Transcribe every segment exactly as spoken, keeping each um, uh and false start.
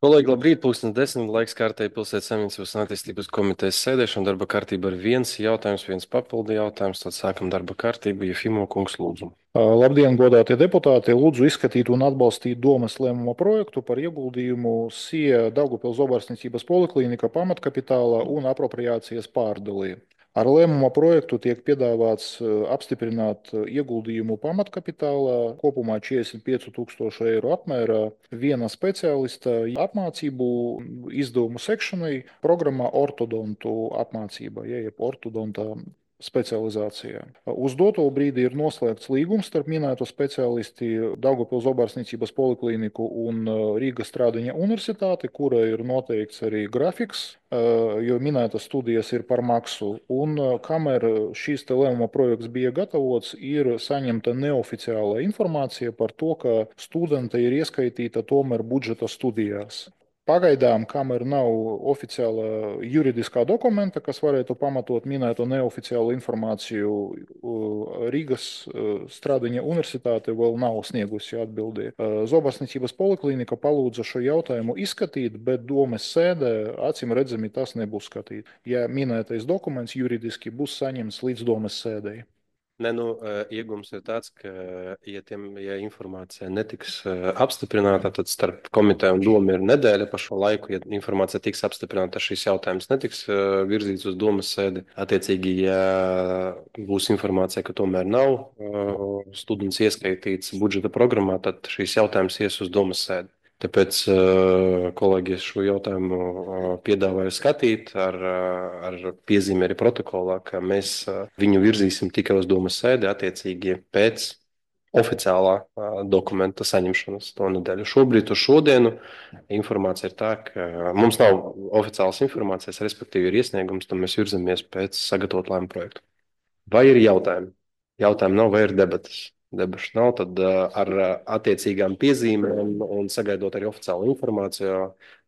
Kolēģi, labrīt, pulkstens desmit, laiks kārtēji pilsētas saimniecības un attīstības komitejas sēdēšana. Darba kārtība ir viens jautājums, viens papildi jautājums. Tad sākam darba kārtību. Jefimo kungs, lūdzu. Labdien, godātie deputāti! Lūdzu izskatīt un atbalstīt domas lēmuma projektu par ieguldījumu S I E Daugavpils Zobarsniecības poliklīnika pamatkapitālā un apropriācijas pārdalī. Ar lēmuma projektu tiek piedāvāts eh, apstiprināt eh, ieguldījumu pamatkapitālā kopumā četrdesmit pieci tūkstoši eiro apmērā viena speciālista apmācību izdevumu sekšanai programmā ortodontu apmācība, ja, jeb ortodonta specializācijā. Uz doto brīdi ir noslēgts līgums starp minēto speciālisti Daugavpils Zobarsniecības poliklīniku un Rīgas Strādiņa universitāti, kura ir noteikts arī grafiks, jo minētas studijas ir par maksu. Un kamēr šīs te lēmuma projekts bija gatavots, ir saņemta neoficiāla informācija par to, ka studente ir ieskaitīta tomēr budžeta studijās. Pagaidām, kamēr nav oficiāla juridiskā dokumenta, kas varētu pamatot minēto neoficiālu informāciju, Rīgas Strādiņa universitāte vēl nav sniegusi atbildi. Zobarsniecības poliklīnika palūdza šo jautājumu izskatīt, bet domes sēdē acīm redzami tas nebūs skatīt, ja minētais dokuments juridiski būs saņemts līdz domes sēdēji. Ne, nu, iegums ir tāds, ka, ja, tiem, ja informācija netiks apstiprināta, tad starp komiteju un domu ir nedēļa pa šo laiku. Ja informācija tiks apstiprināta, tad šis jautājums netiks virzīts uz domas sēdi. Attiecīgi, ja būs informācija, ka tomēr nav students ieskaitīts budžeta programmā, tad šis jautājums ies uz domas sēdi. Tāpēc kolēģi šo jautājumu piedāvāju skatīt ar, ar piezīmi arī protokolā, ka mēs viņu virzīsim tikai uz domas sēdi attiecīgi pēc oficiālā dokumenta saņemšanas to nedēļu. Šobrīd uz šodienu informācija ir tā, ka mums nav oficiālas informācijas, respektīvi ir iesniegums, tad mēs virzamies pēc sagatavot lēmumu projektu. Vai ir jautājumi? Jautājumi nav, vai ir debatas? Debašu nav, tad ar attiecīgām piezīmēm un sagaidot arī oficiālu informāciju,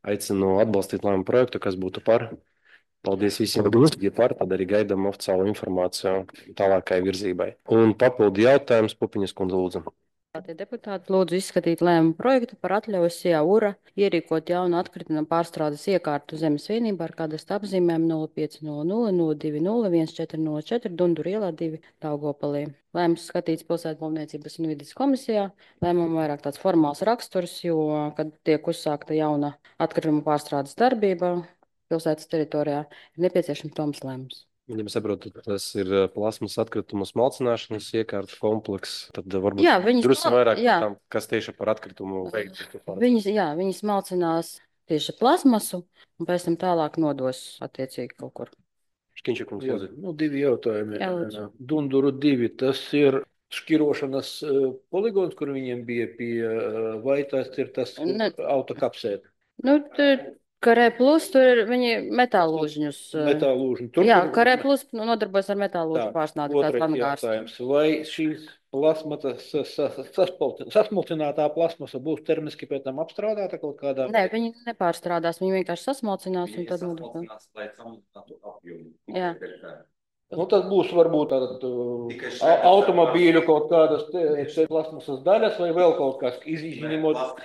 aicinu atbalstīt lēmumu projektu, kas būtu par. Paldies visiem, kas bija par, tad arī gaidām oficiālu informāciju tālākai virzībai. Un papildu jautājums, Pupiņas kundze, lūdzu. Tie deputāti lūdzu izskatīt lēmumu projektu par atļauju S I A URA ierīkot jaunu atkrituma pārstrādes iekārtu zemes vienībā ar kādas apzīmēm nulle pieci nulle nulle nulle divi nulle viens četri nulle četri Dundur ielā divi Daugavpilī. Lēmums skatīts pilsētbūvniecības un vides komisijā. Lēmumam vairāk tāds formāls raksturs, jo, kad tiek uzsākta jauna atkrituma pārstrādes darbība pilsētas teritorijā, ir nepieciešams toms lēmums. Viņam saprotu, tas ir plasmas atkritumu smalcināšanas iekārtu komplekss, tad varbūt Jā, viņas drusku mal- vairāk jā. tam, kas tieši par atkritumu veikt. Viņas, jā, viņas malcinās tieši plasmasu un pēc tam tālāk nodos attiecīgi kaut kur. Škiņša kungs, Jā, lūdzu. nu, divi jautājumi. Jā, lūdzu. Dunduru divi, tas ir šķirošanas uh, poligons, kur viņiem bija pie, uh, vai tas ir tas Ne. autokapsēt? Nu, tur Karē plus, tur ir viņi metālūžņus. eh, Metālūžņi. Tur, Jā, kur- Karē plus nu, nodarbojas ar metālūžņu Tā, pārsnādi kāds otrais angārs. jautājums. Vai šīs plasmata, sasmalcinātā plasmasa būs termiski pēc tam apstrādāta kaut kādā? Nē, viņi nepārstrādās, viņi vienkārši sasmalcinās un tad nodarbojas. lai samazinātu apjomu. Jā. Nu, tas būs varbūt tātad, uh, Tikai šajā au- automobīļu kaut kādas te- te plasmasas daļas vai vēl kaut kas izņemot.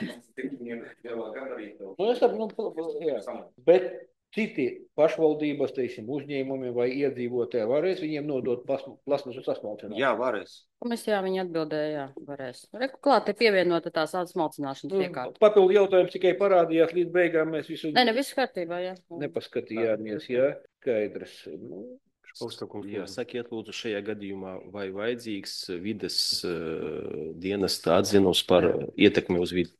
Nu, es saprotu, nu, jā. Bet citi pašvaldības, teiksim, uzņēmumi vai iedzīvotāji varēs viņiem nodot plasma- plasmasu sasmalcināšanu? Jā, varēs. Komisijā viņi atbildēja, jā, varēs. Reku klāt ir pievienota tās smalcināšanas Nu, iekārta. papildu jautājums tikai parādījās līdz beigām. Mēs visu Nē, ne, viss kārtībā, jā. nepaskatījāmies, jā, skaidrs. Nu, Jā, sakiet, lūdzu, šajā gadījumā, vai vajadzīgs vides uh, dienesta atzinums par ietekmi uz vidi?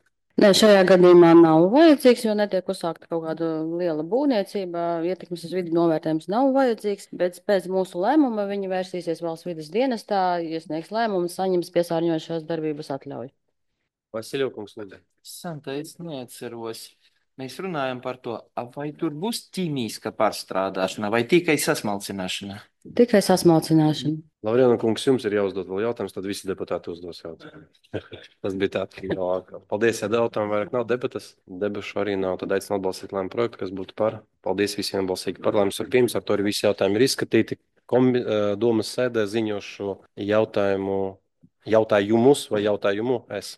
Nē, šajā gadījumā nav vajadzīgs, jo netiek uzsākta kaut kāda liela būvniecība. Ietekmes uz vidi novērtējums nav vajadzīgs, bet pēc mūsu lēmuma viņi vērsīsies valsts vides dienestā, iesniegs lēmumu, saņems piesārņojušās darbības atļauju. Vasiļokungs, lūdzu. Santa, es neatceros. Mēs runājam par to, a vai tur būs ķīmiska pārstrādāšana vai tikai sasmalcināšana? Tikai sasmalcināšana. Lavrēna kungs, jums ir jāuzdod vēl jautājums, tad visi deputāti uzdos jautājumu. Tas bija tā, ka jau. Paldies, ja jautājumu vairāk nav debatas. Debašu arī nav, tad aicinu atbalstīt lēmumu projektu, kas būtu par. Paldies visiem balsīgi par lēmumu ar pirms, ar to arī visi jautājumi ir izskatīti. Kombi, domas sēdē ziņošu jautājumu, jautājumus vai jautājumu es.